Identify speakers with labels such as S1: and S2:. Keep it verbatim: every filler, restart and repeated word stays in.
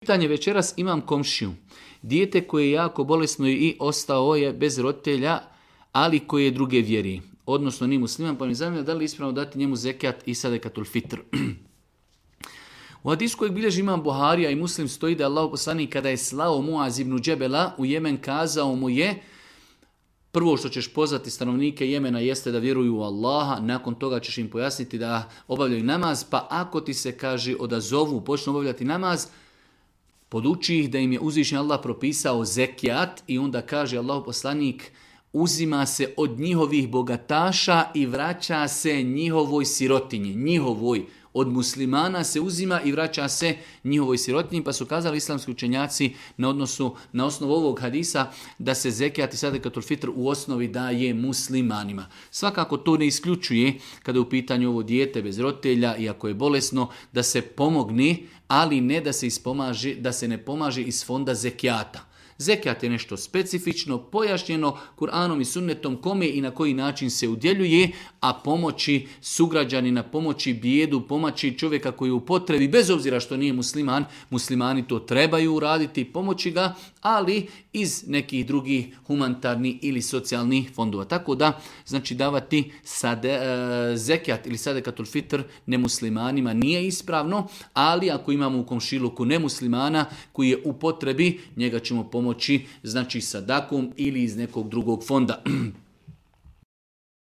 S1: Pitanje večeras, imam komšiju. Dijete koje je jako bolesno i ostao je bez roditelja, ali koje je druge vjeri. Odnosno ni musliman, pa mi zanima da li je ispravno dati njemu zekijat i sadekatul fitr. U hadisu kojeg bilježi imam Buharija i Muslim stoji da je Allah poslanik kada je slao Muaz ibn Džebela u Jemen kazao mu je: prvo što ćeš pozvati stanovnike Jemena jeste da vjeruju u Allaha, nakon toga ćeš im pojasniti da obavljaju namaz, pa ako ti se, kaže, odazovu, počnu obavljati namaz, poduči ih da im je uzvišeni Allah propisao zekijat i onda kaže Allah poslanik: uzima se od njihovih bogataša i vraća se njihovoj sirotinji, njihovoj. Od muslimana se uzima i vraća se njihovoj sirotinji, pa su kazali islamski učenjaci na, odnosu, na osnovu ovog hadisa da se zekijat i sadekatul fitr u osnovi daje muslimanima. Svakako to ne isključuje kada je u pitanju ovo dijete bez roditelja i ako je bolesno da se pomogne, ali ne da se, ispomaže, da se ne pomaže iz fonda zekijata. Zekijat je nešto specifično, pojašnjeno Kur'anom i sunnetom kome i na koji način se udjeljuje, a pomoći sugrađanina, pomoći bijedu, pomoći čovjeka koji je u potrebi, bez obzira što nije musliman, muslimani to trebaju uraditi, pomoći ga, ali iz nekih drugih humanitarnih ili socijalnih fondova. Tako da, znači davati sade, e, zekijat ili sadekatul fitr nemuslimanima nije ispravno, ali ako imamo u komšiluku nemuslimana koji je u potrebi, njega ćemo pomoći, znači sadakom ili iz nekog drugog fonda.